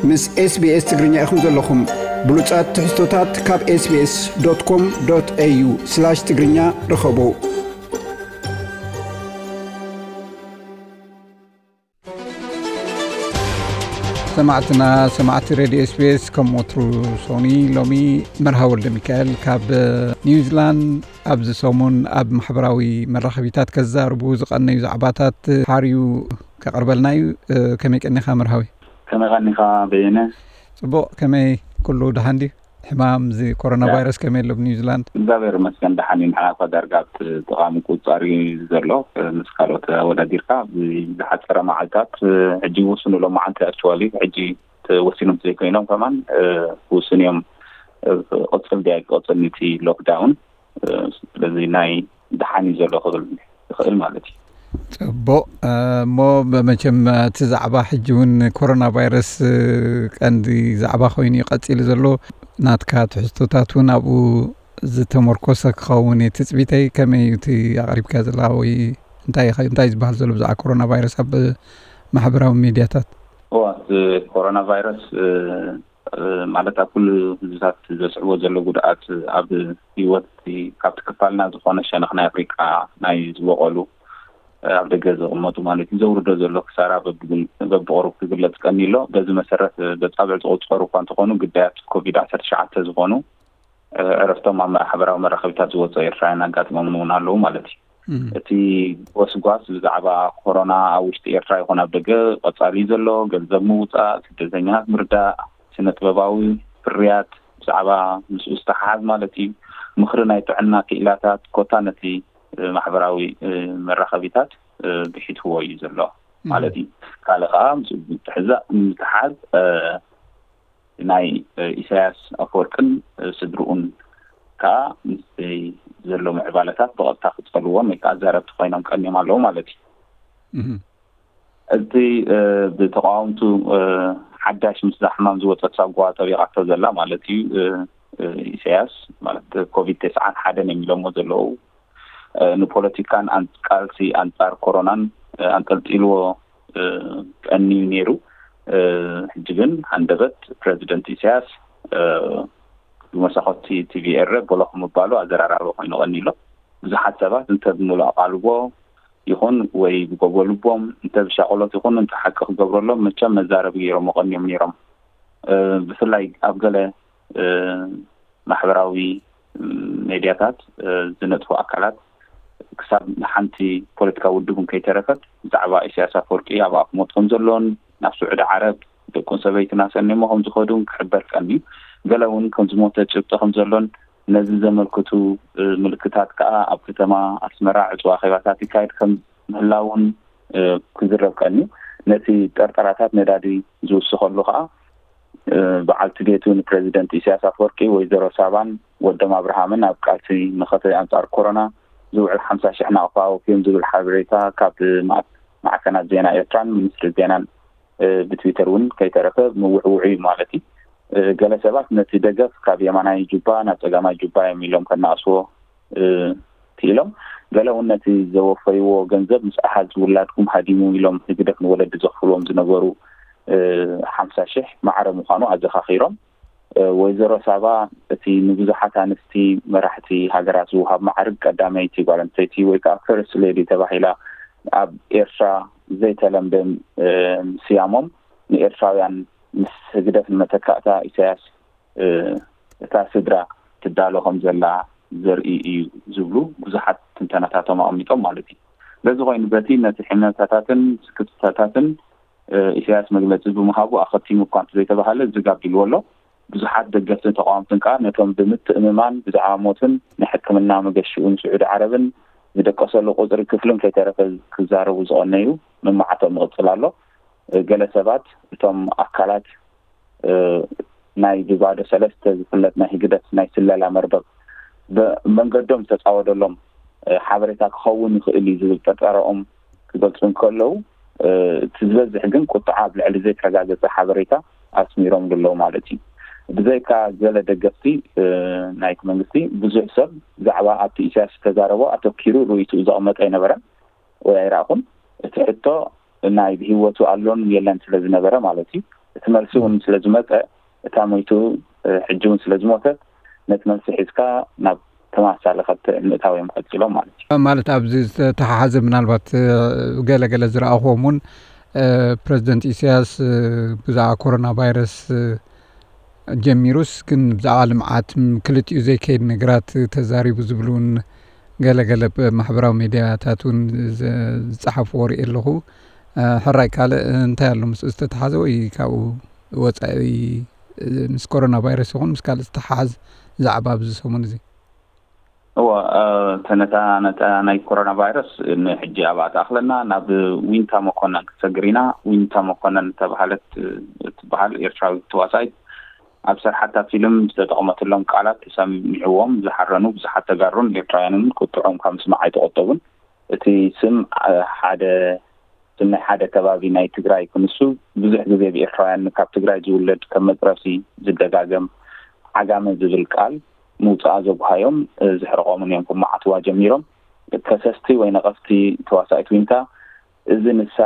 ምስ SBS ትግርኛ ኢኹም ዘለኹም። ብሉጻት ትሕዝቶታት ካብ SBS.com.au/ትግርኛ ርኸቡ። ሰማዕትና፣ ሰማዕቲ ሬድዮ SBS፣ ከም ወትሩ ሶኒ፣ ሎሚ መርሃ ወልደ ሚካኤል ካብ ኒውዚላንድ ኣብዚ ሰሙን ኣብ ማሕበራዊ መራኸቢታት ከዛርቡ ዝቐነዩ ዛዕባታት ሓርዩ ከቕርበልና እዩ። ከመይ ቀኒኻ መርሃዊ? ከመይ ቀኒኻ በየነ? ጽቡቕ፣ ከመይ ኩሉ ደሓን ድዩ? ሕማም እዚ ኮሮና ያ። ቫይረስ ከመይ ኣሎ ኣብ ኒውዚላንድ? እግዚኣብሔር ይመስገን ደሓን እዩ። ንሕና እኳ ዳርጋ ኣብቲ ጠቓሚ ቁጻር እዩ ዘሎ፣ ምስ ካልኦት ኣወዳዲርካ። ኣብዚ ዝሓጸረ መዓልታት፣ ሕጂ ውሱን ሎም መዓልቲ ኣክቹዋሊ፣ ሕጂ ተወሲኖም ዘይኮይኖም ከማን፣ ውሱን እዮም። ቅጽል ድያ ኣይቅጽል ንቲ ሎክዳውን፣ ስለዚ ናይ ደሓን እዩ ዘሎ ክብል ይኽእል ማለት እዩ። ጽቡቕ። እሞ መቸም እቲ ዛዕባ ሕጂ እውን ኮሮና ቫይረስ ቀንዲ ዛዕባ ኮይኑ እዩ ቀጺሉ ዘሎ። ናትካ ትሕዝቶታት እውን ኣብኡ ዝተመርኮሰ ክኸውን እዩ ትጽቢተይ። ከመይ እዩ እቲ ኣቕሪብካ ዘለኻ ወይ እንታይ ኢኻ፣ እንታይ እዩ ዝበሃል ዘሎ ብዛዕባ ኮሮና ቫይረስ ኣብ ማሕበራዊ ሚድያታት? እዋ፣ እቲ ኮሮና ቫይረስ፣ እ፣ ማለት ኣብ ኩሉ ህዝብታት ዘስዕቦ ዘሎ ጉድኣት ኣብ ህይወት እቲ ካብቲ ክፋልና ዝኾነ ሸነኽ ናይ ኣፍሪቃ ናይ ዝበቐሉ፣ እ፣ ኣብ ደገ ዝቕመጡ ማለት እዩ፣ ዘውርዶ ዘሎ ክሳራ በብግል-፣ በብቕሩብ ክግለጽ ቀኒ ኣሎ። በዚ መሰረት፣ እ፣ በጻብዕ ዝቑጸሩ እኳ እንተኾኑ፣ ግዳያት ኮቪድ ዓሰርተ ትሽዓተ ዝኾኑ፣ እ፣ ዕረፍቶም ኣብ ማሕበራዊ መራኸቢታት ዝወጽኦ ኤርትራውያን ኣጋጢሞምን እውን ኣለዉ ማለት እዩ። እም። እቲ ጎስጓስ ብዛዕባ ኮሮና ኣብ ውሽጢ ኤርትራ ይኹን ኣብ ደገ ቀጻሊ እዩ ዘሎ። ገንዘብ ምውጻእ፣ ስደተኛታት ምርዳእ፣ ስነ ጥበባዊ ፍርያት ብዛዕባ ምስኡ ዝተሓሓዝ ማለት እዩ። ምኽሪ ናይ ጥዕና ክኢላታት ኮታ ነቲ፣ እ፣ ማሕበራዊ፣ እ፣ መራኸቢታት፣ እ፣ ብሒትዎ እዩ ዘሎ እም። ማለት እዩ። ካልእ ከኣ ምስኡ ብዝትሕዛ-፣ ምትሓዝ፣ እ፣ ናይ፣ እ፣ ኢሳያስ ኣፈወርቅን፣ እ፣ ስድርኡን ከኣ ምስቲ ዘሎ ምዕባለታት ብቐጥታ ክጸልዎም ወይ ከኣ ዛረብቲ ኮይኖም ቀንዮም ኣለዉ ማለት እዩ። እህ። እቲ፣ እ፣ ብተቃወምቱ፣ እ፣ ሓዳሽ ምስዛ ሕማም ዝወጸት ሳጓ ጠቢቓቶ ዘላ ማለት እዩ፣ እ፣ እ፣ ኢሳያስ ማለት ኮቪድ ተስዓን ሓደን እዮም ኢሎሞ ዘለዉ። እ፣ ንፖለቲካን ኣን-፣ ቃልሲ ኣንጻር ኮሮናን፣ እ፣ ኣንጠልጢልዎ፣ እ፣ ቀንዩ ነይሩ። እ፣ ሕጂ ግን ሃንደበት ፕረዚደንት ኢሳያስ፣ እ፣ ብመሳኹቲ ቲቪ ኤረ ቦሎኽ ምባሉ ኣዘራራቢ ኮይኑ ቀንዩ ኣሎ። ብዙሓት ሰባት እንተ ብምሉእ ኣቓልቦ ይኹን ወይ ብጎቦ ልቦም እንተ ብሻቕሎት ይኹን እንተ ሓቂ ክገብረሎም መቸም መዛረቢ ገይሮም ቀንዮም ነይሮም። እ፣ ብፍላይ ኣብ ገለ፣ እ፣ ማሕበራዊ ሜድያታት፣ እ፣ ዝነጥፉ ኣካላት ክሳብ ሓንቲ ፖለቲካዊ ውድብ እንከይተረፈት ብዛዕባ ኢሳያስ ኣፈወርቂ ኣብ ኣፍ ሞት ከም ዘሎን ናብ ስዑዲ ዓረብ ደቁን ሰበይትን ኣሰንዮሞ ከም ዝኸዱን ክሕበር ቀንዩ። ገለ እውን ከም ዝሞተ ጭብጢ ከም ዘሎን ነዚ ዘመልክቱ፣ እ፣ ምልክታት ከኣ ኣብ ከተማ ኣስመራ ዕጹው ኣኼባታት ይካየድ ከም ምህላውን፣ እ፣ ክዝረብ ቀንዩ። ነቲ ጠርጠራታት ነዳዲ ዝውስኸሉ ከኣ እ፣ በዓልቲ ቤቱ ንፕረዚደንት ኢሳያስ ኣፈወርቂ፣ ወይዘሮ ሳባን ወዶም ኣብርሃምን ኣብ ቃልሲ መኸተ ኣንጻር ኮሮና ዝውዕል ሓምሳ ሽሕ ናቕፋ ኣወፍዮም ዝብል ሓበሬታ ካብ ማዕ-፣ ማዕከናት ዜና ኤርትራን ሚኒስትሪ ዜናን፣ እ፣ ብትዊተር እውን ከይተረፈ ምውዕውዑ እዩ ማለት እዩ። እ፣ ገለ ሰባት ነቲ ደገፍ ካብ የማናይ ጁባ ናብ ጸጋማይ ጁባ እዮም ኢሎም ከነኣስዎ፣ እ፣ ክኢሎም፣ ገለ እውን ነቲ ዘወፈይዎ ገንዘብ ምስ ኣሓዝ ውላድኩም ሃዲሙ ኢሎም ህግደፍ ንወለዲ ዘኽፍልዎም ዝነበሩ፣ እ፣ ሓምሳ ሽሕ ማዕረ ምዃኑ ኣዘኻኺሮም። እ፣ ወይዘሮ ሳባ እቲ ንብዙሓት ኣንስቲ መራሕቲ ሃገራት ዝወሃብ ማዕርግ ቀዳመይቲ ጓል ኣንስተይቲ ወይ ከዓ ፈርስት ሌዲ ተባሂላ ኣብ ኤርትራ ዘይተለምደ፣ እ፣ ስያሞም ንኤርትራውያን ምስ ህግደፍ ንመተካእታ ኢሳያስ፣ እ፣ እታ ስድራ ትዳሎ ከም ዘላ ዘርኢ እዩ ዝብሉ ብዙሓት ትንተናታቶም ኣቐሚጦም ማለት እዩ። በዚ ኮይኑ በቲ ነቲ ሕመታታትን ስክፍታታትን፣ እ፣ ኢሳያስ መግለጺ ብምሃቡ ኣኸቲሙ እኳ እንተዘይተባሃለ ዝጋብ ኢልዎ ኣሎ። ብዙሓት ደገፍትን ተቃወምትን ከኣ ነቶም ብምትእምማን ብዛዕባ ሞትን ንሕክምና መገሽኡን ስዑዲ ዓረብን ዝደቀሰሉ ቁጽሪ ክፍልን ከይተረፈ ክዛረቡ ዝቐነዩ መማዕቶም ይቕጽል ኣሎ። እ፣ ገለ ሰባት እቶም ኣካላት፣ እ፣ ናይ ብባዶ ሰለስተ ዝፍለጥ ናይ ህግደፍ ናይ ስለላ መርበብ ብመንገዶም ዝተጻወደሎም፣ እ፣ ሓበሬታ ክኸውን ይኽእል እዩ ዝብል ጥርጠረኦም ክገልጹ እንከለዉ፣ እ፣ እቲ ዝበዝሕ ግን ቁጥዓ ኣብ ልዕሊ ዘይተረጋገጸ ሓበሬታ ኣስሚሮምሉ ኣለዉ ማለት እዩ። ብዘይካ ገለ ደገፍቲ፣ እ፣ ናይቲ መንግስቲ፣ ብዙሕ ሰብ ብዛዕባ ኣብቲ ኢሳያስ ዝተዛረቦ ኣተኪሩ ርእይትኡ ዘቐመጠ ኣይነበረን ወይ ኣይረኣኹን። እቲ ሕቶ ናይ ብህይወቱ ኣሎን የለን ስለ ዝነበረ ማለት እዩ። እቲ መልሲ እውን ስለ ዝመፀ፣ እታ ሞይቱ ሕጂ እውን ስለ ዝሞተት፣ ነቲ መልሲ ሒዝካ ናብ ተመሳሳሊ ከተ ምእታው እዮም ቀፂሎም ማለት እዩ። ማለት ኣብዚ ዝተተሓሓዘ ምናልባት ገለገለ ዝረኣኹዎም እውን ፕረዚደንት ኢሳያስ ብዛዕባ ኮሮና ቫይረስ ጀሚሩስ ግን ብዛዕባ ልምዓት ክልቲኡ ዘይከይድ ነገራት ተዛሪቡ ዝብሉ እውን ገለገለ ማሕበራዊ ሜድያታት እውን ዝፀሓፍዎ ርኢ ኣለኹ። ሕራይ ካልእ እንታይ ኣሎ ምስኡ ዝተተሓዘ ወይ ካብኡ ወፃኢ ምስ ኮሮና ቫይረስ ይኹን ምስ ካልእ ዝተሓሓዝ ዛዕባ ኣብዚ ሰሙን እዚ? እወ፣ ተነታ ነታ ናይ ኮሮና ቫይረስ ንሕጂ ኣብኣ ትኣኽለና። ናብ ዊንታ መኮነን ክትሰግር ኢና። ዊንታ መኮነን ዝተባህለት እትበሃል ኤርትራዊ ተዋሳኢት ኣብ ሰርሓታ ፊልም ዝተጠቕመትሎም ቃላት ተሰሚዕዎም ዝሓረኑ ብዙሓት ተጋሩን ኤርትራውያንን ቁጥዖም ካብ ምስማዕ ኣይተቆጠቡን። እቲ ስም ሓደ ስም ናይ ሓደ ከባቢ ናይ ትግራይ ክንሱ ብዙሕ ግዜ ብኤርትራውያን ካብ ትግራይ ዝውለድ ከም መፅረሲ ዝደጋገም ዓጋመ ዝብል ቃል ምውፅኣ ዘጉሃዮም ዘሕርቆምን እዮም ክመዓትዋ ጀሚሮም። ከሰስቲ ወይ ነቐፍቲ ተዋሳኢት ዊንታ እዚ ንሳ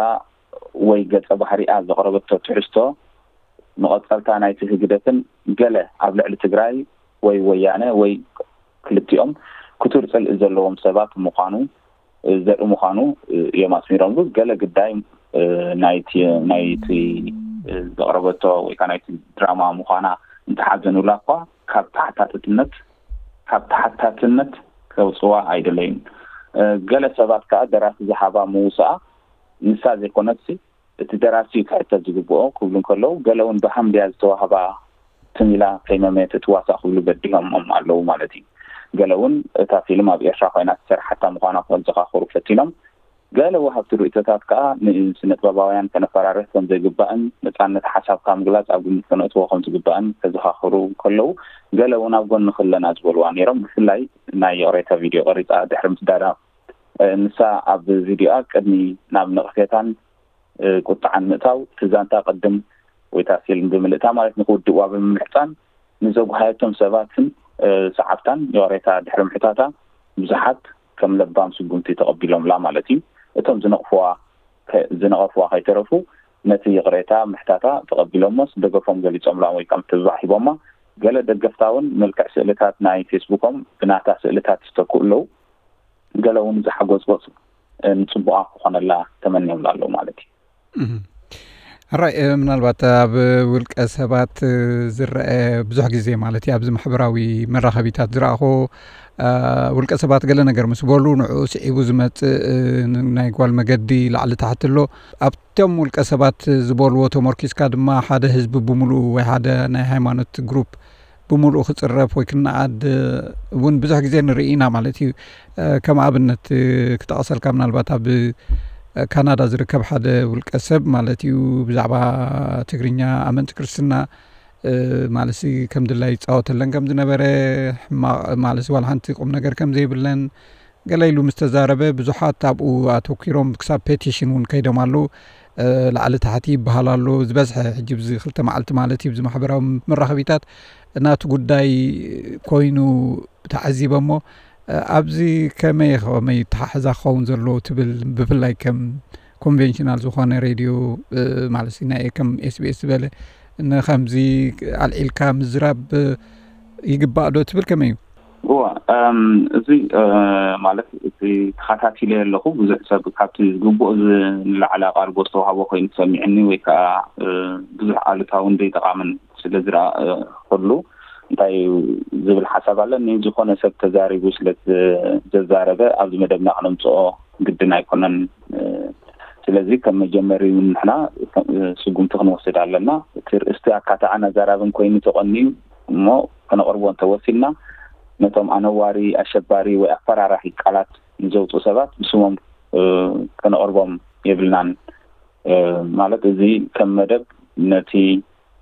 ወይ ገፀ ባህሪኣ ዘቕረበቶ ትሕዝቶ መቐፀልታ ናይቲ ህግደፍን ገለ ኣብ ልዕሊ ትግራይ ወይ ወያነ ወይ ክልቲኦም ክቱር ፅልኢ ዘለዎም ሰባት ምዃኑ ዘርኢ ምዃኑ እዮም ኣስሚሮምሉ። ገለ ግዳይ ናይቲ ናይቲ ዘቕረበቶ ወይ ከዓ ናይቲ ድራማ ምዃና እንተሓዘኑላ እኳ ካብ ተሓታትነት ካብ ተሓታትነት ከውፅዋ ኣይደለዩን። ገለ ሰባት ከዓ ደራሲ ዝሃባ ምውፅኣ ንሳ ዘይኮነትሲ እቲ ደራሲ እዩ ክሕተት ዝግብኦ ክብሉ እንከለዉ፣ ገለ እውን ብሃም ድያ ዝተዋህባ ትም ኢላ ከይመመየት እትዋሳእ ክብሉ በዲሆሞም ኣለዉ ማለት እዩ። ገለ እውን እታ ፊልም ኣብ ኤርትራ ኮይና ዝተሰርሓታ ምዃና ክዘኻኽሩ ፈቲኖም። ገለ ወሃብቲ ርእይቶታት ከኣ ንስነጥበባውያን ከነፈራርህ ከም ዘይግባእን ነጻነት ሓሳብካ ምግላጽ ኣብ ግምት ከነእትዎ ከም ዝግባእን ከዘኻኽሩ ከለዉ፣ ገለ እውን ኣብ ጎኒ ክለና ዝበልዋ ነይሮም። ብፍላይ ናይ ይቕሬታ ቪድዮ ቀሪጻ ድሕሪ ምስዳዳ፣ ንሳ ኣብ ቪድዮኣ ቅድሚ ናብ ነቕፌታን ቁጥዓን ምእታው፣ እቲ ዛንታ ቅድም ወይ እታ ፊልም ብምልእታ ማለት ንክውድእዋ ብምምሕጻን ንዘጉሃየቶም ሰባትን ሰዓብታን ይቕሬታ ድሕሪ ምሕታታ ብዙሓት ከም ለባም ስጉምቲ ተቐቢሎምላ ማለት እዩ። እቶም ዝነቕፍዋ ዝነቐፍዋ ከይተረፉ ነቲ ይቕሬታ ምሕታታ ተቐቢሎሞስ ደገፎም ገሊጾምላ ወይ ከም ትብባዕ ሂቦማ። ገለ ደገፍታ እውን መልክዕ ስእልታት ናይ ፌስቡኮም ብናታ ስእልታት ይስተክኡ ኣለዉ። ገለ እውን ዝሓጎጽጎጽ ንጽቡቓ ክኾነላ ተመንዮምላ ኣለዉ ማለት እዩ። ሕራይ ምናልባት ኣብ ውልቀ ሰባት ዝረአ ብዙሕ ግዜ ማለት እዩ ኣብዚ ማሕበራዊ መራኸቢታት ዝረኣኹ ውልቀ ሰባት ገለ ነገር ምስ በሉ ንዕኡ ስዒቡ ዝመፅእ ናይ ጓል መገዲ ላዕሊ ታሕቲ ኣሎ። ኣብቶም ውልቀ ሰባት ዝበልዎ ተመርኪስካ ድማ ሓደ ህዝቢ ብምሉኡ ወይ ሓደ ናይ ሃይማኖት ግሩፕ ብምሉኡ ክፅረፍ ወይ ክነኣድ እውን ብዙሕ ግዜ ንርኢ ኢና ማለት እዩ። ከም ኣብነት ክጠቐሰልካ ምናልባት ኣብ ካናዳ ዝርከብ ሓደ ውልቀ ሰብ ማለት እዩ ብዛዕባ ትግርኛ ኣመንቲ ክርስትና ማለት ከም ድላይ ይፃወተለን ከም ዝነበረ ሕማቕ ማለት ዋላ ሓንቲ ቁም ነገር ከም ዘይብለን ገለ ኢሉ ምስ ተዛረበ ብዙሓት ኣብኡ ኣተኪሮም ክሳብ ፔቲሽን እውን ከይዶም ኣለዉ። ላዕሊ ታሕቲ ይበሃል ኣሎ ዝበዝሐ ሕጂ ብዚ ክልተ መዓልቲ ማለት እዩ ብዚ ማሕበራዊ መራኸቢታት ናቱ ጉዳይ ኮይኑ ተዓዚበ እሞ ኣብዚ ከመይ ከመይ ተሓሕዛ ክኸውን ዘለዎ ትብል ብፍላይ ከም ኮንቬንሽናል ዝኾነ ሬድዮ ማለት ናይ ከም ኤስቢኤስ ዝበለ ንከምዚ ኣልዒልካ ምዝራብ ይግባእ ዶ ትብል ከመይ እዩ? እዋ እዚ ማለት እቲ ተኸታቲለ ኣለኹ ብዙሕ ሰብ ካብቲ ዝግብኦ ንላዕሊ ኣቓልቦ ዝተዋህቦ ኮይኑ ተሰሚዕኒ ወይ ከዓ ብዙሕ ኣሉታውን ዘይጠቓምን ስለ ዝረኣኹሉ እንታይ ዝብል ሓሳብ ኣለኒ ዝኾነ ሰብ ተዛሪቡ ስለ ዘዛረበ ኣብዚ መደብና ክነምፅኦ ግድን ኣይኮነን። ስለዚ ከም መጀመሪ እውን ንሕና ስጉምቲ ክንወስድ ኣለና። እቲ ርእስቲ ኣካታዕን ኣዛራብን ኮይኑ ተቐንዩ እሞ ከነቕርቦ እንተወሲድና ነቶም ኣነዋሪ ኣሸባሪ ወይ ኣፈራራሒ ቃላት ንዘውፅኡ ሰባት ብስሞም ከነቕርቦም የብልናን። ማለት እዚ ከም መደብ ነቲ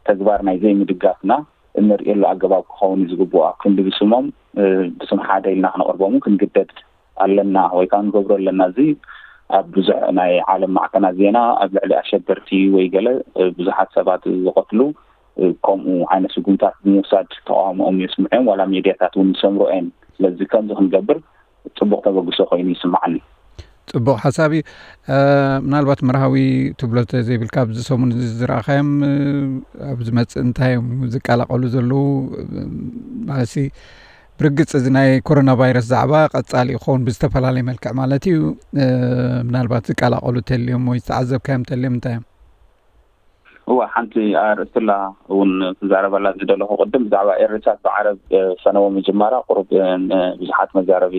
ተግባር ናይ ዘይምድጋፍና እንርእየሉ ኣገባብ ክኸውን እዩ ዝግብኦ። ኣብ ክንዲ ብስሞም ብስም ሓደ ኢልና ክነቕርቦም ክንግደድ ኣለና ወይ ከዓ ንገብሮ ኣለና። እዚ ኣብ ብዙሕ ናይ ዓለም ማዕከናት ዜና ኣብ ልዕሊ ኣሸበርቲ ወይ ገለ ብዙሓት ሰባት ዝቐትሉ ከምኡ ዓይነት ስጉምታት ብምውሳድ ተቃውሞኦም የስምዑ እዮም። ዋላ ሜድያታት እውን ዝሰምሮ እየን። ስለዚ ከምዚ ክንገብር ፅቡቕ ተበግሶ ኮይኑ ይስማዓኒ። ጽቡቕ ሓሳብ እዩ። ምናልባት መርሃዊ ትብሎ ዘይብልካ ኣብዚ ሰሙን እዚ ዝረኣኻዮም ኣብ ዝመጽእ እንታይ እዮም ዝቀላቐሉ ዘለዉ? ማለትሲ ብርግጽ እዚ ናይ ኮሮና ቫይረስ ዛዕባ ቀጻሊ ይኸውን ብዝተፈላለየ መልክዕ ማለት እዩ። ምናልባት ዝቀላቐሉ ተልዮም ወይ ዝተዓዘብካዮም ተልዮም እንታይ እዮም? እዋ ሓንቲ ኣርእስትላ እውን ክዛረበላ ዝደለኹ ቅድም ብዛዕባ ኤርትራት ብዓረብ ፈነዎ ምጅማራ ቁሩብ ብዙሓት መዛረቢ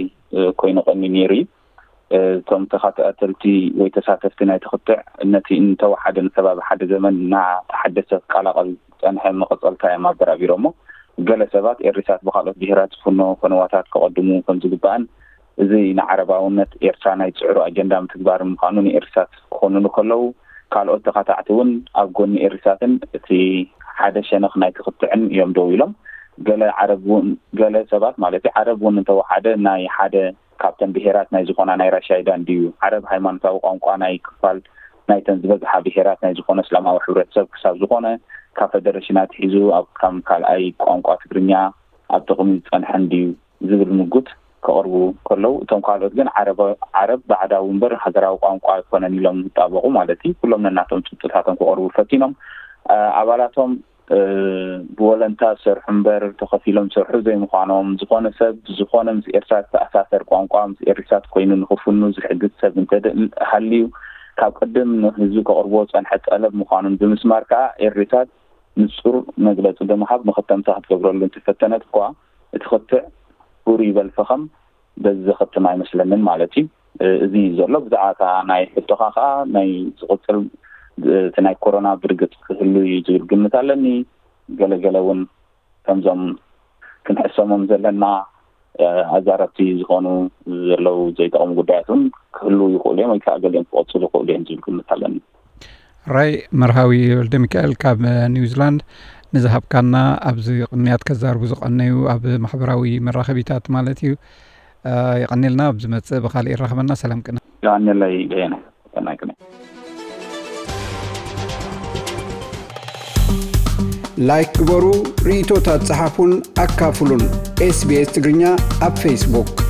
ኮይኑ ቀኒ ነይሩ እዩ። እቶም ተኸታተልቲ ወይ ተሳተፍቲ ናይ ትኽትዕ ነቲ እንተወሓደ ንሰባብ ሓደ ዘመን እናተሓደሰ ክቀላቐል ዝፀንሐ መቐፀልታ እዮም ኣበራቢሮሞ። ገለ ሰባት ኤርትራት ብካልኦት ብሄራት ዝፍኖ ፈነዋታት ከቐድሙ ከምዝግባእን እዚ ንዓረባውነት ኤርትራ ናይ ፅዕሩ ኣጀንዳ ምትግባር ምዃኑ ንኤርትራት ክኾንኑ ከለዉ ካልኦት ተኻታዕቲ እውን ኣብ ጎኒ ኤርትራትን እቲ ሓደ ሸነኽ ናይ ትኽትዕን እዮም ደው ኢሎም። ገለ ዓረብ እውን ገለ ሰባት ማለት እዩ ዓረብ እውን እንተወሓደ ናይ ሓደ ካብተን ብሄራት ናይ ዝኾና ናይ ራሻይዳ እንድዩ ዓረብ ሃይማኖታዊ ቋንቋ ናይ ክፋል ናይተን ዝበዝሓ ብሄራት ናይ ዝኾነ እስላማዊ ሕብረተሰብ ክሳብ ዝኾነ ካብ ፈደረሽን ኣትሒዙ ኣብ ከም ካልኣይ ቋንቋ ትግርኛ ኣብ ጥቕሚ ዝፀንሐ እንድዩ ዝብል ምጉት ከቕርቡ ከለዉ እቶም ካልኦት ግን ዓረብ ባዕዳዊ እምበር ሃገራዊ ቋንቋ ኣይኮነን ኢሎም ይጣበቑ ማለት እዩ። ኩሎም ነናቶም ጭብጥታቶም ክቐርቡ ፈቲኖም ኣባላቶም ብወለንታ ዝሰርሑ እምበር ተኸፊሎም ዝሰርሑ ዘይምዃኖም ዝኾነ ሰብ ዝኾነ ምስ ኤርትራ ዝተኣሳሰር ቋንቋ ምስ ኤርትራት ኮይኑ ንኽፍኑ ዝሕግዝ ሰብ እንተደል ሃልዩ ካብ ቅድም ንህዝቢ ከቕርቦ ዝፀንሐ ጠለብ ምዃኑን ብምስማር ከዓ ኤርትራት ንፁር መግለፂ ብምሃብ መኸተምታ ክትገብረሉ እንትፈተነት እኳ እቲ ክትዕ ሁር ይበል ፈኸም በዚ ዘኸትም ኣይመስለንን ማለት እዩ። እዚ እዩ ዘሎ ብዛዕባ እታ ናይ ሕቶኻ ከዓ ናይ ዝቕፅል እቲ ናይ ኮሮና ብርግፅ ክህሉ እዩ ዝብል ግምት ኣለኒ። ገለገለ እውን ከምዞም ክንሕሰሞም ዘለና ኣዛረብቲ ዝኾኑ ዘለዉ ዘይጠቕሙ ጉዳያት እውን ክህልዉ ይኽእሉ እዮም ወይ ከዓ ገሊኦም ክቐፅሉ ይኽእሉ እዮም ዝብል ግምት ኣለኒ። ራይ መርሃዊ ወልደ ሚካኤል ካብ ኒውዚላንድ ንዝሃብካና ኣብዚ ቅንያት ከዛርቡ ዝቐነዩ ኣብ ማሕበራዊ መራኸቢታት ማለት እዩ። የቐኒልና ኣብ ዝመጽእ ብኻልእ ይራኸበና። ሰላም ቅነ። የቐኒለይ በየነ። ሰናይ ቅነ። ላይክ ግበሩ፣ ርእይቶታት ጸሓፉን ኣካፍሉን። ኤስቢኤስ ትግርኛ ኣብ ፌስቡክ።